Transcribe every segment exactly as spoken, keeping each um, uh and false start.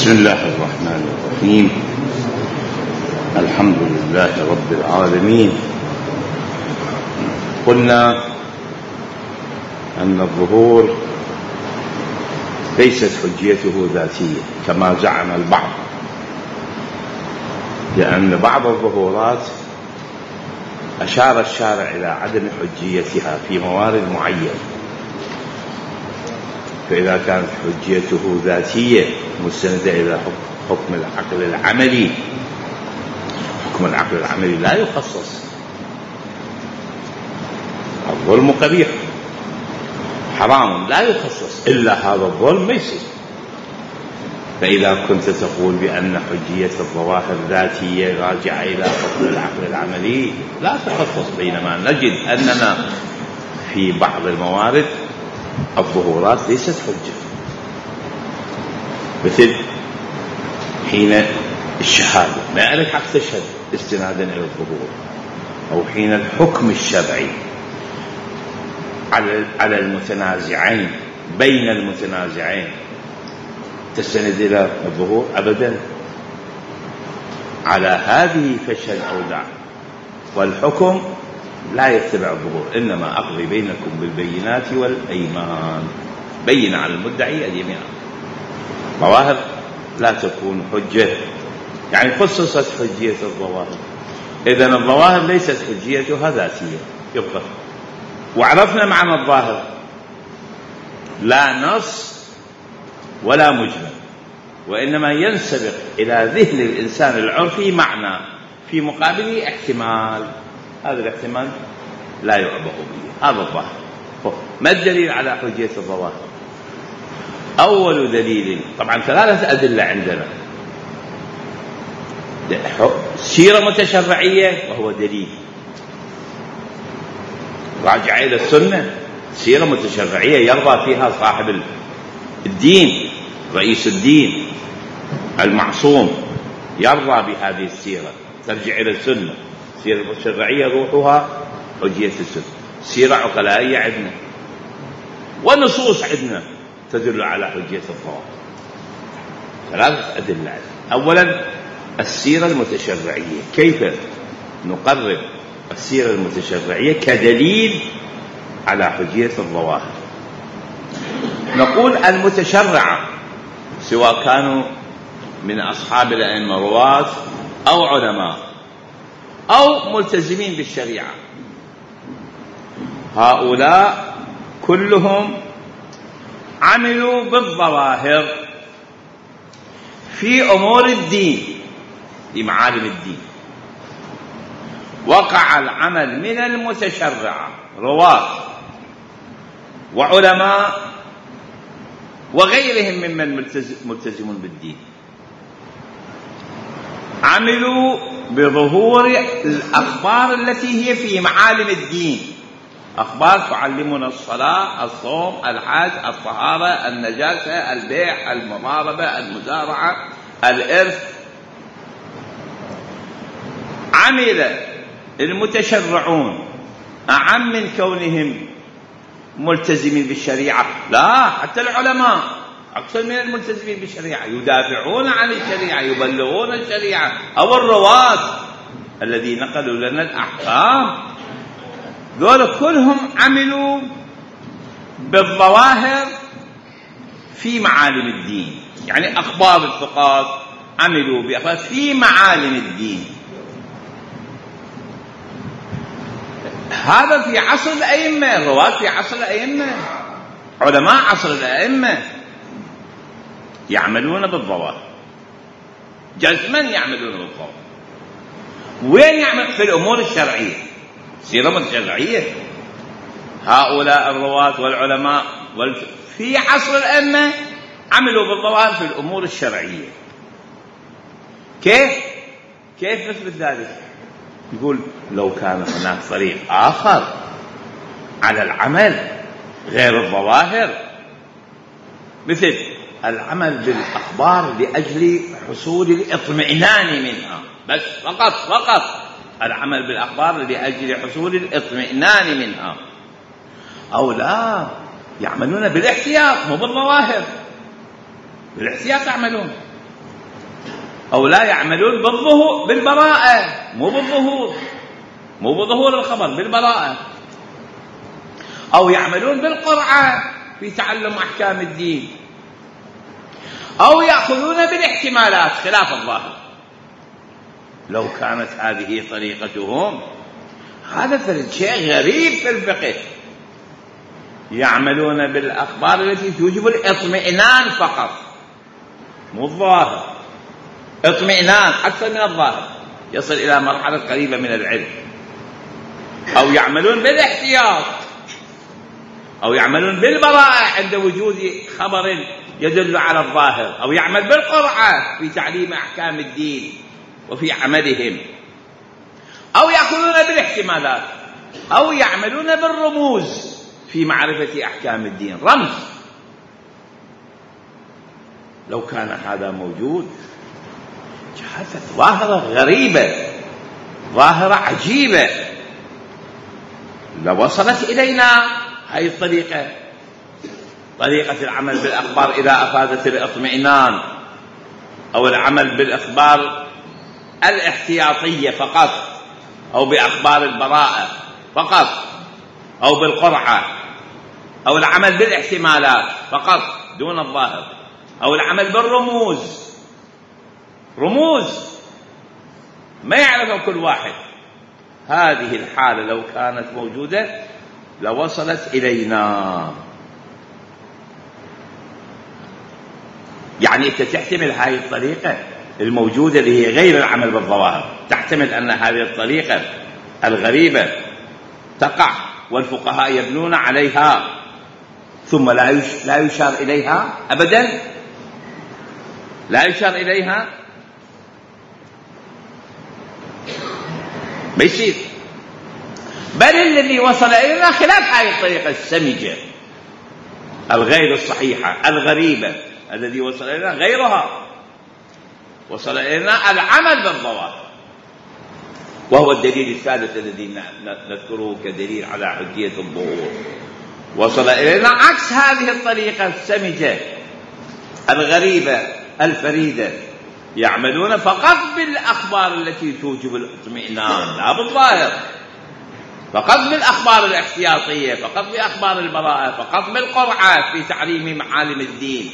بسم الله الرحمن الرحيم. الحمد لله رب العالمين. قلنا أن الظهور ليست حجيته ذاتية كما زعم البعض، لأن بعض الظهورات أشار الشارع إلى عدم حجيتها في موارد معينة، فإذا كانت حجيته ذاتية مستندة إلى حكم العقل العملي، حكم العقل العملي لا يخصص. الظلم قبيح حرام لا يخصص، إلا هذا الظلم ما يصير. فإذا كنت تقول بأن حجية الظواهر ذاتية راجعة إلى حكم العقل العملي لا تخصص، بينما نجد أننا في بعض الموارد الظهورات ليست حجة، مثل حين الشهادة ما لك حق تشهد استنادا إلى الظهور، أو حين الحكم الشرعي على المتنازعين بين المتنازعين تستند إلى الظهور أبدا. على هذه فشل أو دع، والحكم لا يتبع الظهور، إنما أقضي بينكم بالبينات والأيمان، بين على المدعي اليمين. ظواهر لا تكون حجة، يعني خصصت حجية الظواهر. إذن الظواهر ليست حجيتها ذاتية يبقى. وعرفنا معنى الظاهر، لا نص ولا مجمل، وإنما ينسبق إلى ذهن الإنسان العرفي معنى في مقابله احتمال، هذا الاحتمال لا يعبأ به، هذا الظاهر. ما الدليل على حجية الظواهر؟ أول دليل، طبعا ثلاثة أدلة عندنا: سيرة متشرعية وهو دليل راجع إلى السنة، سيرة متشرعية يرضى فيها صاحب الدين، رئيس الدين المعصوم يرضى بهذه السيرة، ترجع إلى السنة. سيرة متشرعية روحها حجية السنة. سيرة عقلائية عندنا ونصوص عندنا تدل على حجية الظواهر. ثلاثة أدلة عندنا. أولا السيرة المتشرعية، كيف نقرب السيرة المتشرعية كدليل على حجية الظواهر؟ نقول المتشرعة سواء كانوا من أصحاب الأئمة رواة أو علماء أو ملتزمين بالشريعة، هؤلاء كلهم عملوا بالظواهر في أمور الدين، في معالم الدين. وقع العمل من المتشرعة رواة وعلماء وغيرهم ممن ملتزمون بالدين، عملوا بظهور الأخبار التي هي في معالم الدين، أخبار تعلمنا الصلاة، الصوم، الحج، الطهارة، النجاسة، البيع، المضاربة، المزارعة، الإرث. عمل المتشرعون أعم من كونهم ملتزمين بالشريعة، لا، حتى العلماء أكثر من الملتزمين بالشريعة، يدافعون عن الشريعة، يبلغون الشريعة، أو الرواة الذي نقلوا لنا الأحكام. ذولا كلهم عملوا بالظواهر في معالم الدين، يعني أخبار الثقات عملوا بأخبار في معالم الدين. هذا في عصر الأئمة، الرواة في عصر الأئمة، علماء عصر الأئمة يعملون بالظواهر، جزما يعملون بالظواهر. وين يعمل؟ في الأمور الشرعية، سيرة متشرعية. هؤلاء الرواة والعلماء في عصر الأئمة عملوا بالظواهر في الأمور الشرعية. كيف؟ كيف نثبت ذلك؟ يقول لو كان هناك طريق آخر على العمل غير الظواهر، مثل العمل بالأخبار لأجل حصول الاطمئنان منها، بس فقط فقط العمل بالأخبار لأجل حصول الاطمئنان منها، أو لا، يعملون بالاحتياط مو بالظواهر، بالاحتياط يعملون. أو لا يعملون بالظهور بالبراءة، مو بالظهور، مو بظهور الخبر، بالبراءة. أو يعملون بالقرعة في تعلم أحكام الدين، أو يأخذون بالاحتمالات خلاف الظاهر. لو كانت هذه طريقتهم هذا فرد شيء غريب في الفقه. يعملون بالأخبار التي توجب الاطمئنان فقط، مو الظاهر، اطمئنان أكثر من الظاهر، يصل إلى مرحلة قريبة من العلم. أو يعملون بالاحتياط، أو يعملون بالبراءة عند وجود خبر يدل على الظاهر، أو يعمل بالقرعة في تعليم أحكام الدين وفي عملهم، أو يأخذون بالاحتمالات، أو يعملون بالرموز في معرفة أحكام الدين، رمز. لو كان هذا موجود جاءت ظاهرة غريبة، ظاهرة عجيبة، لوصلت إلينا هذه الطريقة، طريقة العمل بالأخبار إذا أفادت الاطمئنان، أو العمل بالأخبار الاحتياطية فقط، أو بأخبار البراءة فقط، أو بالقرعة، أو العمل بالاحتمالات فقط دون الظاهر، أو العمل بالرموز، رموز ما يعرفها كل واحد. هذه الحالة لو كانت موجودة لوصلت إلينا. يعني أنت تحتمل هذه الطريقة الموجودة اللي هي غير العمل بالظواهر، تحتمل أن هذه الطريقة الغريبة تقع والفقهاء يبنون عليها ثم لا يشار إليها أبدا، لا يشار إليها، ما يصير. بل الذي وصل إلينا خلاف هذه الطريقة السمجة الغير الصحيحة الغريبة، الذي وصل إلينا غيرها، وصل إلينا العمل بالظواهر، وهو الدليل الثالث الذي نذكره كدليل على حجية الظهور. وصل إلينا عكس هذه الطريقة السمجة الغريبة الفريدة، يعملون فقط بالأخبار التي توجب الاطمئنان لا بالظاهر، فقط بالأخبار الاحتياطية، فقط بأخبار البراءة، فقط بالقرعة في تعليم معالم الدين،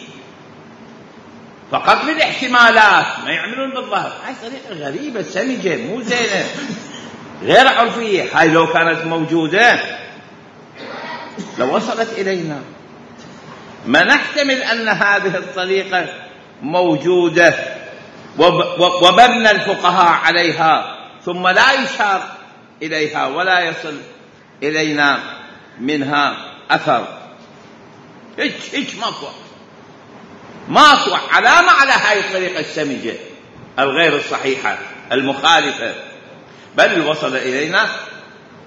فقط بالاحتمالات، ما يعملون بالظاهر. هاي طريقة غريبة سمجة مو زينة غير عرفية. هاي لو كانت موجودة لو وصلت إلينا. ما نحتمل أن هذه الطريقة موجودة ومبنى الفقهاء عليها ثم لا يشار إليها ولا يصل إلينا منها أثر. هيك هيك ماكو ماكو علامة على هاي الطريقة السمجة الغير الصحيحة المخالفة، بل وصل إلينا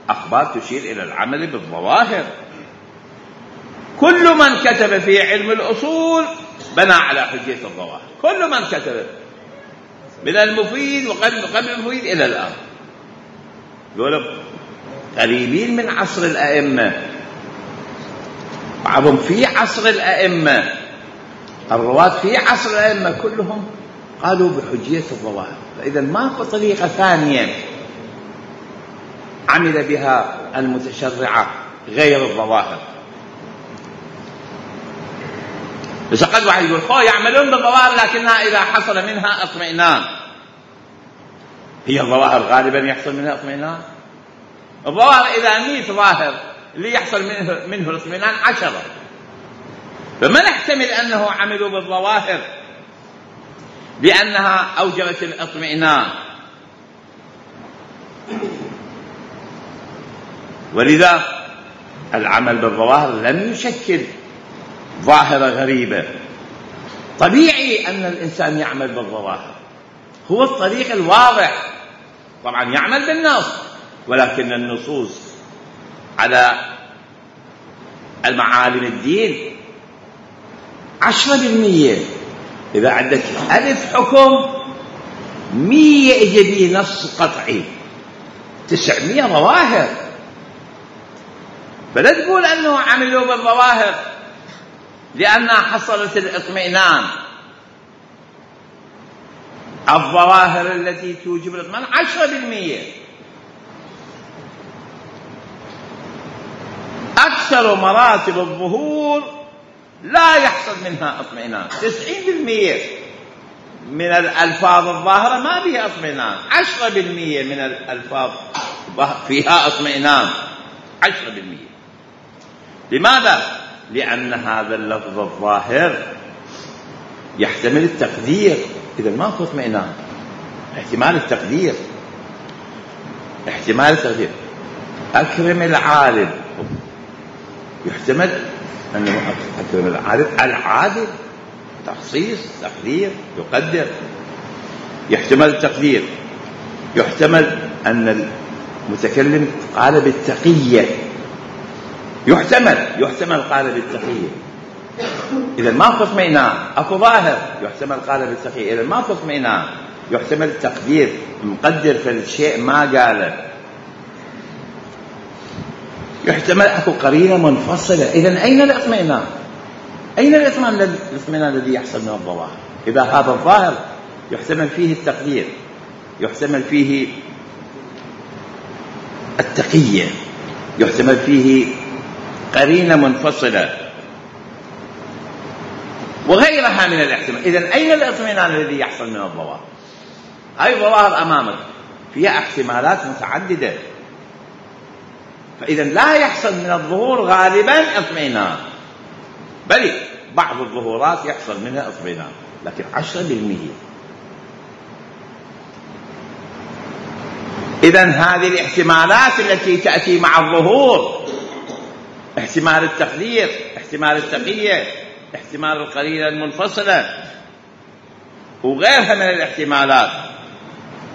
أخبار تشير إلى العمل بالظواهر. كل من كتب في علم الأصول بنى على حجية الظواهر، كل من كتب من المفيد وقبل قبل المفيد إلى الآن، دول قريبين من عصر الأئمة، بعضهم في عصر الأئمة، الرواة في عصر الأئمة كلهم قالوا بحجية الظواهر. فإذا ماكو طريقة ثانية عمل بها المتشرعة غير الظواهر. بس قد واحد يقول خو يعملون بالظواهر لكنها إذا حصل منها اطمئنان. هي الظواهر غالبا يحصل منها اطمئنان؟ الظواهر إذا مئة ظاهر اللي يحصل منه, منه الاطمئنان عشرة. فما نحتمل أنه عملوا بالظواهر لأنها أوجبت الاطمئنان. ولذا العمل بالظواهر لم يشكل ظاهرة غريبة. طبيعي أن الإنسان يعمل بالظواهر، هو الطريق الواضح. طبعا يعمل بالنص، ولكن النصوص على المعالم الدين عشرة بالمية. إذا عندك ألف حكم مية إجابي نص قطعي، تسعمية ظواهر. فلا تقول أنه عملوا بالظواهر لأنها حصلت الاطمئنان. الظواهر التي توجب الاطمئنان عشرة بالمئة. أكثر مراتب الظهور لا يحصل منها اطمئنان. تسعين بالمئة من الألفاظ الظاهرة ما بها اطمئنان، عشرة بالمئة من الألفاظ فيها اطمئنان، عشرة بالمئة. لماذا؟ لأن هذا اللفظ الظاهر يحتمل التقدير، إذا ماكو اطمئنان. احتمال التقدير، احتمال التقدير. أكرم العالم، يحتمل أنه أكرم العالم العادل، تخصيص، تقدير، يقدر. يحتمل التقدير. يحتمل أن المتكلم قال بالتقية، يحتمل يحتمل قال بالتقية، إذا ماكو اطمئنان. أكو ظاهر يحتمل قال بالتقية، إذا ماكو اطمئنان. يحتمل التقدير، مقدر في الشيء ما قاله. يحتمل أكو قرينة منفصلة، إذا أين الاطمئنان؟ أين الاطمئنان الاطمئنان الذي يحصل من الظواهر؟ إذا هذا الظاهر يحتمل فيه التقدير، يحتمل فيه التقية، يحتمل فيه قرينة منفصلة وغيرها من الاحتمال. إذن أين الاطمئنان الذي يحصل من الظواهر؟ هاي الظواهر أمامك فيها احتمالات متعددة، فإذا لا يحصل من الظهور غالبا اطمئنان، بل بعض الظهورات يحصل منها اطمئنان، لكن عشرة بالمئة. إذن هذه الاحتمالات التي تأتي مع الظهور، احتمال التقدير، احتمال التقية، احتمال القرينة المنفصلة وغيرها من الاحتمالات،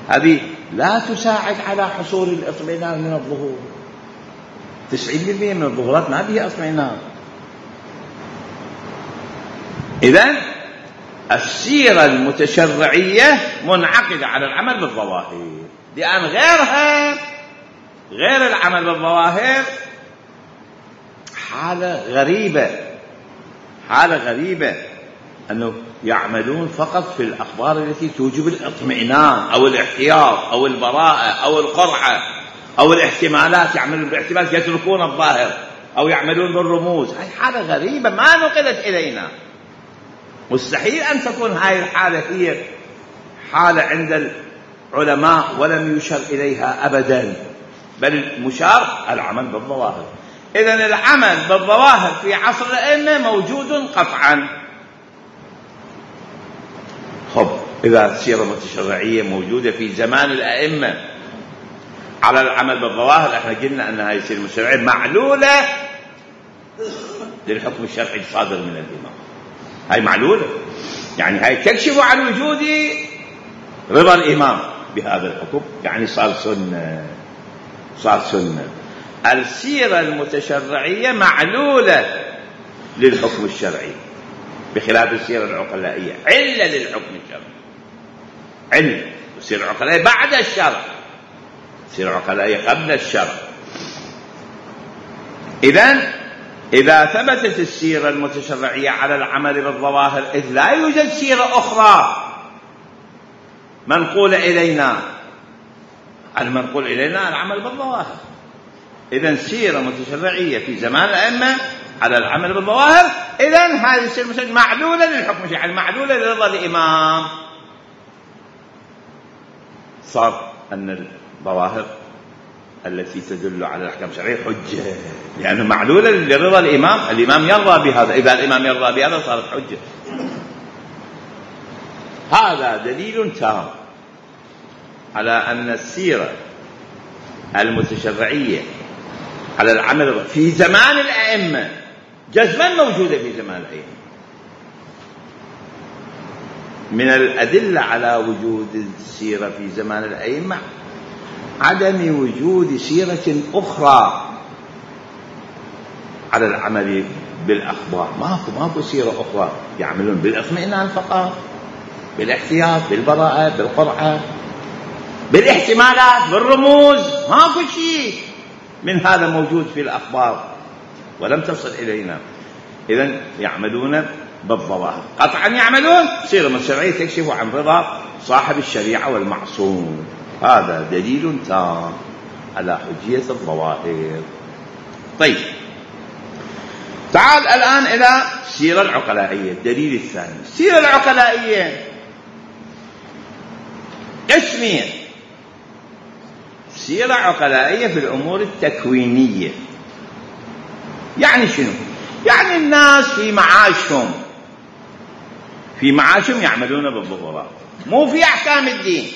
هذه لا تساعد على حصول الاطمئنان من الظهور. تسعين بالمئة من الظهورات ما بها اطمئنان. إذن السيرة المتشرعية منعقدة على العمل بالظواهر، لأن غيرها غير العمل بالظواهر حالة غريبة، حالة غريبة أنه يعملون فقط في الأخبار التي توجب الاطمئنان أو الاحتياط أو البراءة أو القرعة أو الاحتمالات، يعملون بالاحتمالات يتركون الظاهر، أو يعملون بالرموز. هاي حالة غريبة ما نقلت إلينا. مستحيل أن تكون هاي الحالة هي حالة عند العلماء ولم يشر إليها أبدا، بل المشار العمل بالظواهر. إذن العمل بالظواهر في عصر الأئمة موجود قطعا. خب إذا السيرة المتشرعية موجودة في زمان الأئمة على العمل بالظواهر، احنا قلنا أن هذه السيرة المتشرعية معلولة للحكم الشرعي الصادر من الإمام. هاي معلولة، يعني هاي تكشف عن وجود رضا الإمام بهذا الحكم، يعني صار سنة، صار سنة. السيرة المتشرعية معلولة للحكم الشرعي بخلاف السيرة العقلائية، علة للحكم الشرعي، علة. السيرة العقلائية بعد الشرع، السيرة العقلائية قبل الشرع. إذن إذا ثبتت السيرة المتشرعية على العمل بالظواهر، إذ لا يوجد سيرة أخرى منقولة إلينا، المنقول إلينا العمل بالظواهر. إذن سيرة متشرعية في زمان الأئمة على العمل بالظواهر، إذن هذه السيرة المتشرعية معلولة للحكم الشرعي، معلولة لرضا الإمام. صار أن الظواهر التي تدل على الأحكام الشرعية حجة، لأنه معلولة لرضا الإمام، الإمام يرضى بهذا، إذا الإمام يرضى بهذا صارت حجة. هذا دليل تام على أن السيرة المتشرعية على العمل في زمان الأئمة جزما موجودة في زمان الأئمة. من الأدلة على وجود السيرة في زمان الأئمة عدم وجود سيرة أخرى على العمل بالأخبار. ماكو ماكو سيرة أخرى، يعملون بالاطمئنان فقط، بالاحتياط، بالبراءة، بالقرعة، بالاحتمالات، بالرموز. ماكو شيء من هذا موجود في الأخبار ولم تصل إلينا. إذن يعملون بالظواهر، قطعا يعملون. سيرة متشرعية تكشف عن رضا صاحب الشريعة والمعصوم. هذا دليل تام على حجية الظواهر. طيب، تعال الآن إلى السيرة العقلائية. الدليل الثاني، السيرة العقلائية قسمين: سيرة عقلائية في الأمور التكوينية. يعني شنو؟ يعني الناس في معاشهم في معاشهم يعملون بالظهورات، مو في أحكام الدين.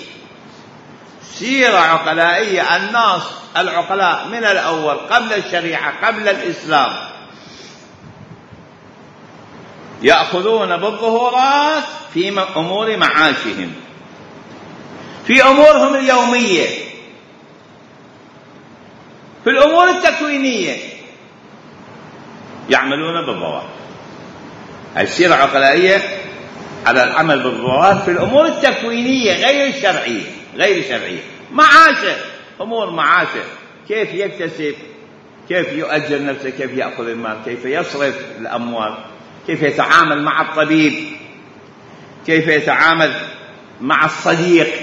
سيرة عقلائية، الناس العقلاء من الأول قبل الشريعة قبل الإسلام يأخذون بالظهورات في أمور معاشهم، في أمورهم اليومية، في الأمور التكوينية يعملون بالظواهر. هاي السيرة العقلائية على العمل بالظواهر في الأمور التكوينية غير الشرعية. غير الشرعية، معاشه، أمور معاشه، كيف يكتسب، كيف يؤجر نفسه، كيف يأخذ المال، كيف يصرف الأموال، كيف يتعامل مع الطبيب، كيف يتعامل مع الصديق،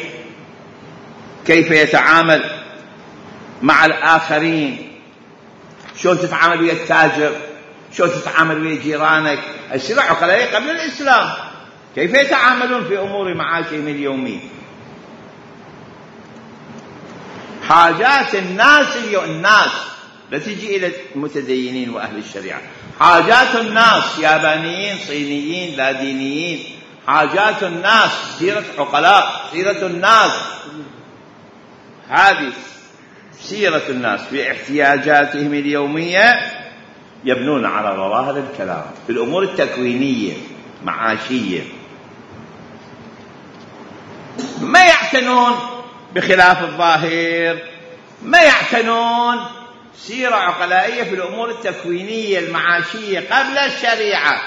كيف يتعامل مع الآخرين، شلون تتعامل ويا التاجر، شلون تتعامل ويا جيرانك. السيرة العقلائية قبل الإسلام كيف يتعاملون في أمور معاشهم اليومية. حاجات الناس اليوم، الناس لا تجي إلى المتدينين وأهل الشريعة، حاجات الناس، يابانيين، صينيين، لا دينيين، حاجات الناس. سيرة عقلاء، سيرة الناس، هذه سيرة الناس في احتياجاتهم اليومية، يبنون على ظواهر الكلام في الأمور التكوينية معاشية، ما يعتنون بخلاف الظاهر، ما يعتنون. سيرة عقلائية في الأمور التكوينية المعاشية قبل الشريعة.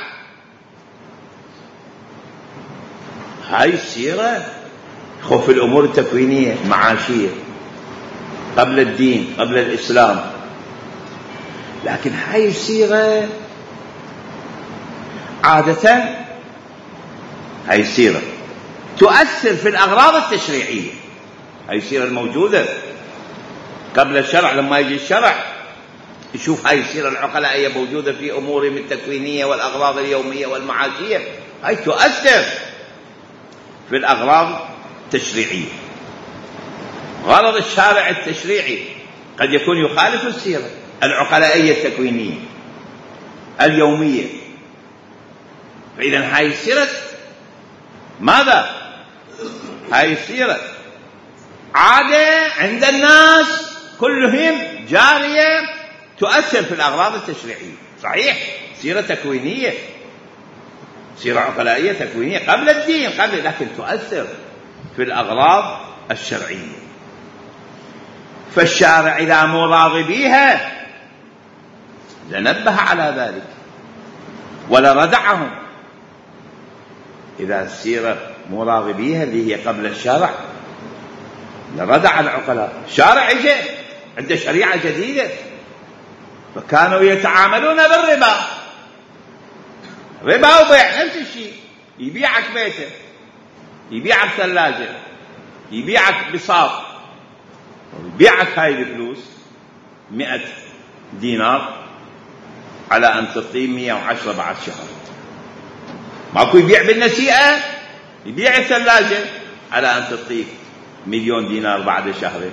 هاي السيرة خف في الأمور التكوينية المعاشية قبل الدين قبل الإسلام. لكن هاي السيرة عادة، هاي السيرة تؤثر في الأغراض التشريعية. هاي السيرة الموجودة قبل الشرع، لما يجي الشرع يشوف هاي السيرة العقلائية موجودة في أمورهم التكوينية والأغراض اليومية والمعاشية، هاي تؤثر في الأغراض التشريعية. غرض الشارع التشريعي قد يكون يخالف السيرة العقلائية التكوينية اليومية. فإذا هاي السيرة ماذا؟ هاي السيرة عادة عند الناس كلهم جارية، تؤثر في الأغراض التشريعية. صحيح سيرة تكوينية، سيرة عقلائية تكوينية قبل الدين قبل، لكن تؤثر في الأغراض الشرعية. فالشارع إذا مو راضي بيها لنبه على ذلك ولردعهم. إذا السيرة مو راضي بيها اللي هي قبل الشرع لردع العقلاء. الشارع اجى عنده شريعة جديدة، فكانوا يتعاملون بالربا، ربا وبيع نفس الشيء. يبيعك بيته، يبيعك ثلاجة، يبيعك بساط، يبيعك هاي الفلوس مئة دينار على أن تعطيه مئة وعشرة بعد شهر. ماكو يبيع بالنسيئة، يبيع الثلاجة على أن تعطيه مليون دينار بعد شهرين،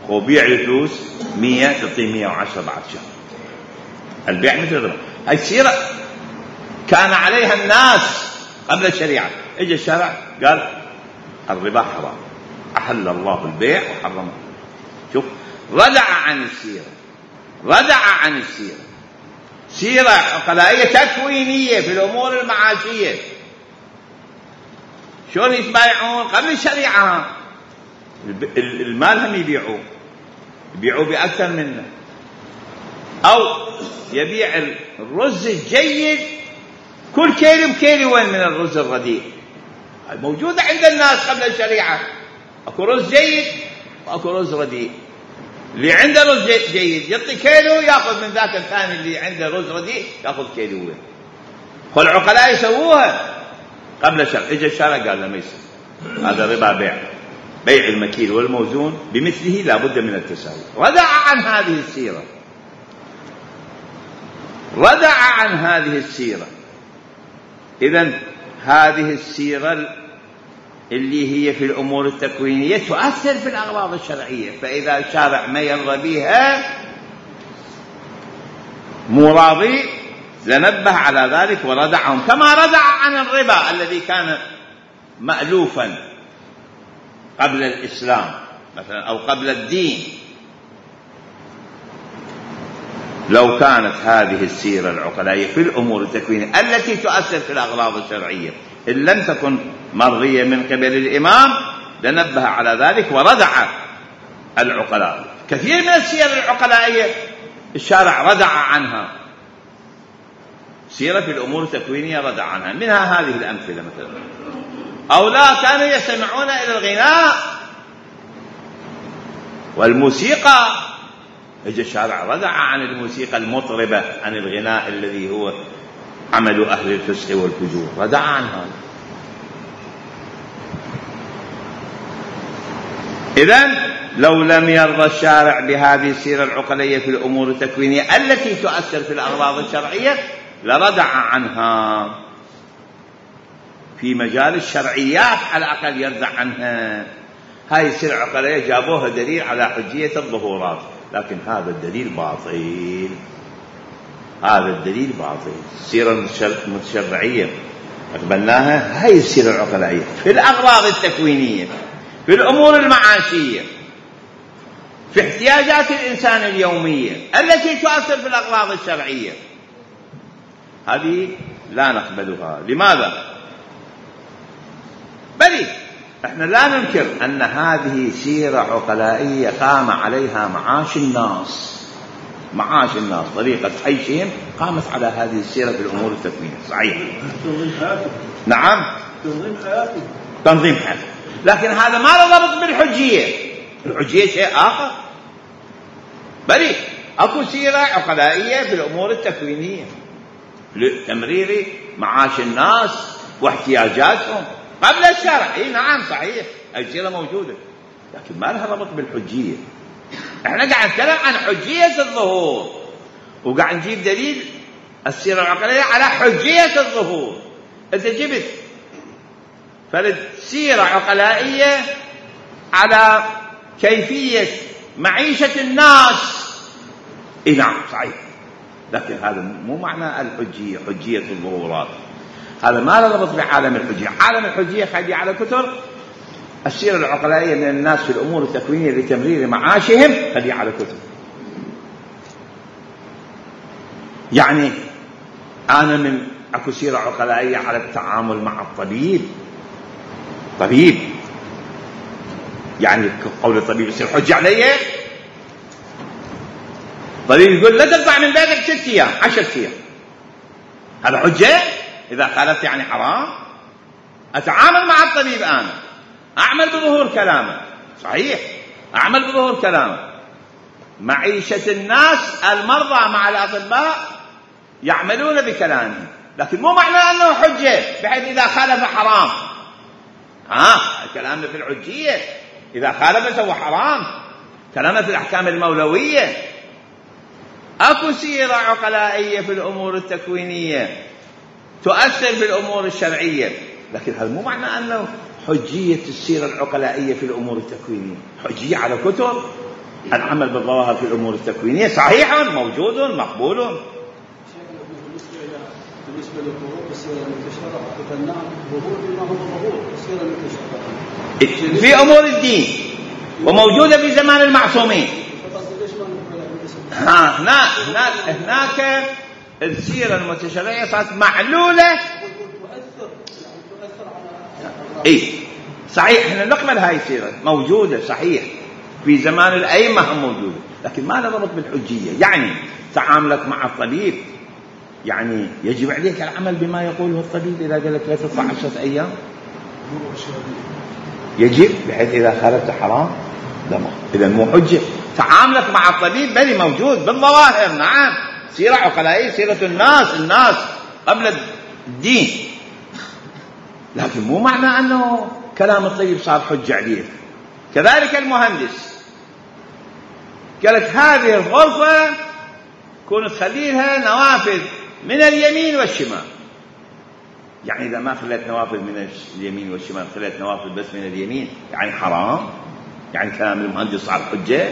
وبيع الفلوس مئة تعطيه مئة وعشرة بعد شهر. البيع مثل الربا. هاي السيرة كان عليها الناس قبل الشريعة. اجى الشرع قال الربا حرام، أحل الله البيع وحرمه. شوف، ردع عن السيرة، ردع عن السيرة. سيرة عقلائية تكوينية في الأمور المعاشية. شلون يتبايعون قبل الشريعة؟ المال هم يبيعوه، يبيعوه بأكثر منه، أو يبيع الرز الجيد كل كيلو بكيلو وين من الرز الرديء. موجودة عند الناس قبل الشريعة. أكو رز جيد وأكو رز رديء. اللي عنده رز جيد يعطي كيلو، يأخذ من ذاك الثاني اللي عنده رز رديء يأخذ كيلو وين. والعقلاء يسووها قبل الشرع. إجا الشرع قال لا ما يصير، هذا ربا بيع، بيع المكيل والموزون بمثله لا بد من التساوي. ردع عن هذه السيرة، ردع عن هذه السيرة. إذن هذه السيرة اللي هي في الأمور التكوينية تؤثر في الأغراض الشرعية، فإذا الشارع ما يرضى بها مو راضي لنبه على ذلك وردعهم، كما ردع عن الربا الذي كان مألوفا قبل الإسلام مثلا أو قبل الدين. لو كانت هذه السيرة العقلائية في الأمور التكوينية التي تؤثر في الأغراض الشرعية إن لم تكن مرضية من قبل الإمام لنبه على ذلك وردع العقلاء. كثير من السير العقلائية الشارع ردع عنها، سيرة في الأمور التكوينية ردع عنها، منها هذه الأمثلة مثلا. أو لا كانوا يستمعون إلى الغناء والموسيقى، اجى الشارع ردع عن الموسيقى المطربة، عن الغناء الذي هو عمل أهل الفسق والفجور، ردع عنها. إذن لو لم يرضى الشارع بهذه السيرة العقلية في الأمور التكوينية التي تؤثر في الأغراض الشرعية لردع عنها. في مجال الشرعيات على الأقل يردع عنها. هاي السيرة العقلية جابوها دليل على حجية الظهورات، لكن هذا الدليل باطل، هذا الدليل باطل. السيرة المتشرعية أقبلناها، هاي السيرة العقلائية في الأغراض التكوينية، في الأمور المعاشية، في احتياجات الإنسان اليومية التي تؤثر في الأغراض الشرعية، هذه لا نقبلها. لماذا؟ بل احنا لا ننكر أن هذه سيرة عقلائية قام عليها معاش الناس، معاش الناس طريقة عيشهم قامت على هذه السيرة في الأمور التكوينية، صحيح. تنظيم حياتهم. نعم، تنظيم حياتهم، تنظيم حياتهم، لكن هذا ما له ضبط بالحجية. الحجية شيء آخر. بل أكو سيرة عقلائية في الأمور التكوينية لتمرير معاش الناس واحتياجاتهم قبل الشرع. إيه نعم صحيح، أي سيرة موجودة، لكن ما لها ربط بالحجية. احنا قاعد نتكلم عن حجية الظهور، وقاعد نجيب دليل السيرة العقلائية على حجية الظهور. انت جبت فرد سيرة عقلائية على كيفية معيشة الناس، إيه نعم صحيح، لكن هذا مو معنى الحجية، حجية الظهورات هذا ما له ربط بعالم الحجية. عالم الحجية خلي على كتر السيرة العقلائية من الناس في الأمور التكوينية لتمرير معاشهم، خلي على كتر. يعني أنا من أكو سيرة عقلائية على التعامل مع الطبيب، طبيب يعني قول الطبيب يصير حجة عليه. طبيب يقول لا تطلع من بيتك ست أيام عشر أيام، هذا حجة؟ إذا قالت يعني حرام. أتعامل مع الطبيب أنا، أعمل بظهور كلامه، صحيح أعمل بظهور كلامه. معيشة الناس المرضى مع الأطباء يعملون بكلامه، لكن مو معنى أنه حجة بحيث إذا خالف حرام. ها كلامه في الحجية، إذا خالف سوى حرام، كلامه في الأحكام المولوية. أكو سيرة عقلائية في الأمور التكوينية تؤثر في الأمور الشرعية، لكن هذا مو معنى أنه حجية السيرة العقلائية في الأمور التكوينية. حجية على كتب العمل بالظواهر في الأمور التكوينية صحيح موجود مقبول. بالنسبة للظهور السيرة المتشرعة قلنا ظهور بما هو ظهور السيرة المتشرعة في أمور الدين وموجودة في زمان المعصومين. ها هناك هناك هناك السيرة المتشرعية صارت معلولة. إيه صحيح، احنا نقبل هاي السيرة موجودة صحيح في زمان الأئمة هم موجودة، لكن ما لها ربط بالحجية. يعني تعاملك مع الطبيب يعني يجب عليك العمل بما يقوله الطبيب. إذا قال لك لا تطلع عشرة أيام يجب، بحيث إذا خالفت حرام لا، إذا مو حجة. تعاملك مع الطبيب بل موجود بالظواهر، نعم سيرة عقلائية، سيرة الناس الناس قبل الدين، لكن مو معنى أنه كلام الطيب صار حجة عليك. كذلك المهندس قال لك هذه الغرفة كون تخليها نوافذ من اليمين والشمال، يعني إذا ما خليت نوافذ من اليمين والشمال خليت نوافذ بس من اليمين يعني حرام، يعني كلام المهندس صار حجة،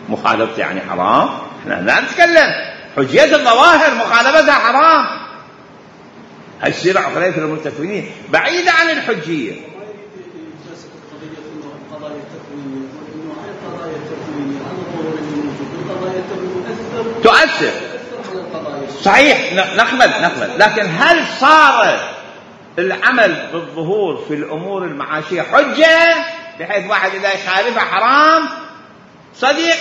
مخالفته يعني حرام. احنا لا نتكلم حجية الظواهر مخالفتها حرام. هاي السيرة عقلية في الأمور التكوينية بعيدة عن الحجية. تؤثر صحيح، نقبل نقبل، لكن هل صار العمل بالظهور في الأمور المعاشية حجة بحيث واحد إذا يخالفها حرام؟ صديق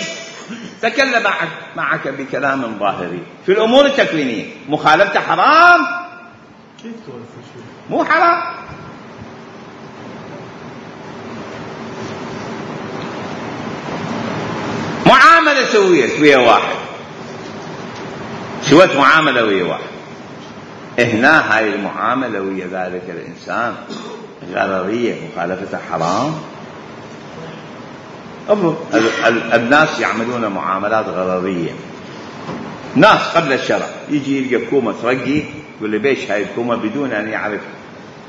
تكلم معك, معك بكلام ظاهري في الأمور التكوينية، مخالفته حرام؟ مو حرام. معاملة سويت ويا واحد، سويت معاملة ويا واحد، هنا هاي المعاملة ويا ذلك الإنسان غررية، مخالفتها حرام. الناس يعملون معاملات غررية، ناس قبل الشرع يجي يلقى كومة ترقي يقول له بيش هاي الكومة بدون أن يعرف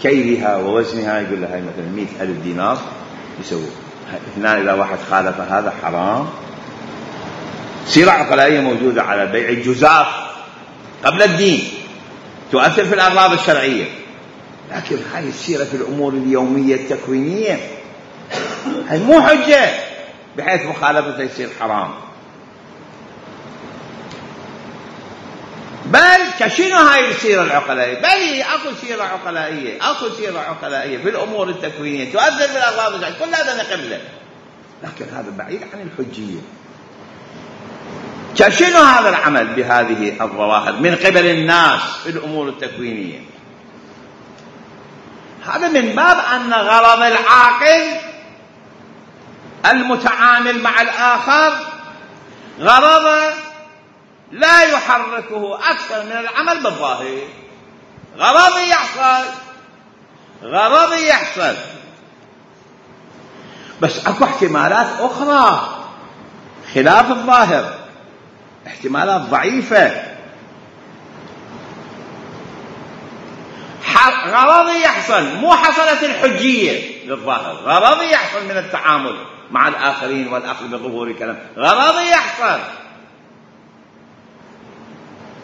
كيلها ووزنها، يقول له هاي مثلا مئة ألف دينار يسوي. هنا إذا واحد خالف هذا حرام. سيرة عقلائية موجودة على بيع الجزاف قبل الدين، تؤثر في الأغراض الشرعية، لكن هاي السيرة في الأمور اليومية التكوينية هاي مو حجة بحيث مخالفتها يصير حرام. بل كشنو هاي السيرة العقلائية؟ بل أكو سيرة عقلائية، أكو سيرة عقلائية في الأمور التكوينية تؤثر في الأغراض الشرعية، كل هذا نقبله، لكن هذا بعيد عن الحجية. كشنو هذا العمل بهذه الظواهر من قبل الناس في الأمور التكوينية؟ هذا من باب أن غرض العاقل المتعامل مع الآخر غرض لا يحركه أكثر من العمل بالظاهر. غرض يحصل غرض يحصل بس أكو احتمالات أخرى خلاف الظاهر، احتمالات ضعيفة. غرض يحصل، مو حصلت الحجية للظاهر، غرض يحصل من التعامل مع الآخرين والأخذ بظهور الكلام، غرض يحصل.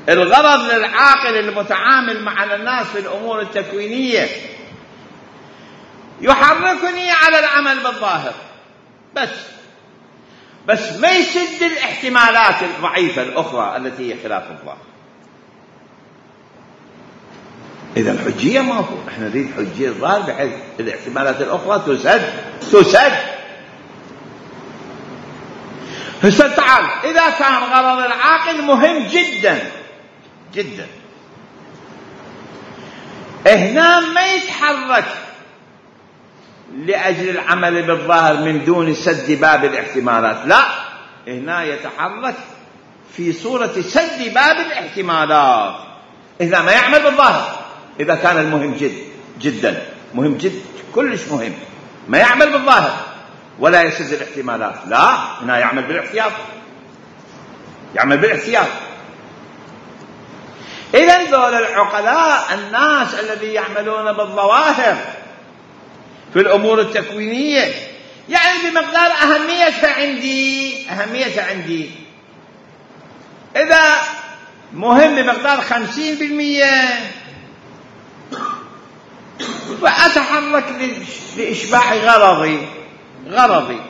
الغرض للعاقل المتعامل مع الناس في الأمور التكوينية يحركني على العمل بالظاهر بس بس ما يسد الاحتمالات الضعيفة الأخرى التي هي خلاف الظاهر. إذا الحجية ما هو، احنا نريد حجية الظاهر بحيث الاحتمالات الأخرى تسد تسد هسه تعال، إذا كان غرض العاقل مهم جدا جدا، هنا ما يتحرك لأجل العمل بالظاهر من دون سد باب الاحتمالات، لا، هنا يتحرك في صورة سد باب الاحتمالات. إذا ما يعمل بالظاهر، إذا كان المهم جد جدا مهم جد كلش مهم، ما يعمل بالظاهر ولا يسد الاحتمالات، لا، هنا يعمل بالاحتياط، يعمل بالاحتياط. إذن ذول العقلاء الناس الذي يعملون بالظواهر في الأمور التكوينية يعني بمقدار أهميتها عندي أهميتها عندي إذا مهم بمقدار خمسين بالمئة وأتحرك لإشباع غرضي غرضي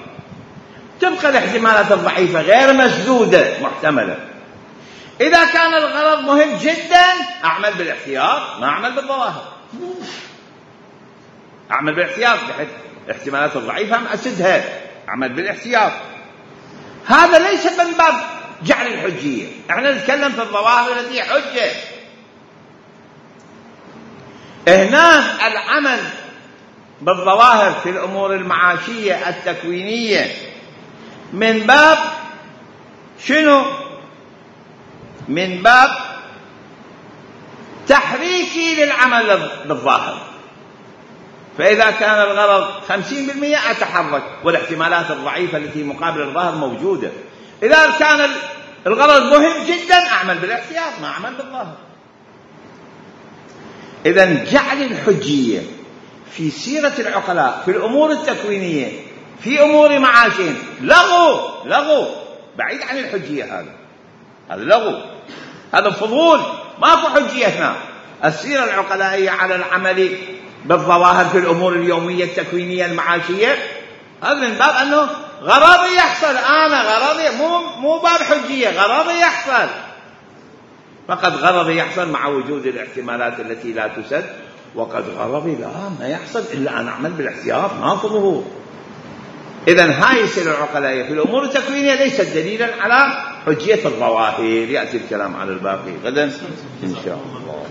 تبقى الاحتمالات الضعيفة غير مسدودة محتملة. إذا كان الغرض مهم جدا أعمل بالاحتياط، ما أعمل بالظواهر، أعمل بالاحتياط بحيث الاحتمالات الضعيفة ما أسدها، أعمل بالاحتياط. هذا ليس من باب جعل الحجية، احنا نتكلم في الظواهر التي حجة. هنا العمل بالظواهر في الأمور المعاشية التكوينية من باب شنو؟ من باب تحريكي للعمل بالظاهر. فإذا كان الغرض خمسين بالمئة أتحرك، والاحتمالات الضعيفة التي مقابل الظاهر موجودة. إذا كان الغرض مهم جدا أعمل بالاحتياط، ما أعمل بالظاهر. إذن جعل الحجية في سيرة العقلاء في الأمور التكوينية في أمور معاشهم لغو لغو بعيد عن الحجية. هذا هذا لغو، هذا فضول، ما في حجية هنا. السيرة العقلائية على العمل بالظواهر في الأمور اليومية التكوينية المعاشية، هذا من باب أنه غرضي يحصل، أنا غرضي مو مو باب حجية، غرضي يحصل فقد، غرضي يحصل مع وجود الاحتمالات التي لا تسد، وقد غرضي لا ما يحصل إلا أن أعمل بالاحتياط، ما في ظهور. إذن هاي السيرة العقلائية في الأمور التكوينية ليست دليلا على حجية الظواهر. يأتي الكلام على الباقي غدا إن شاء الله.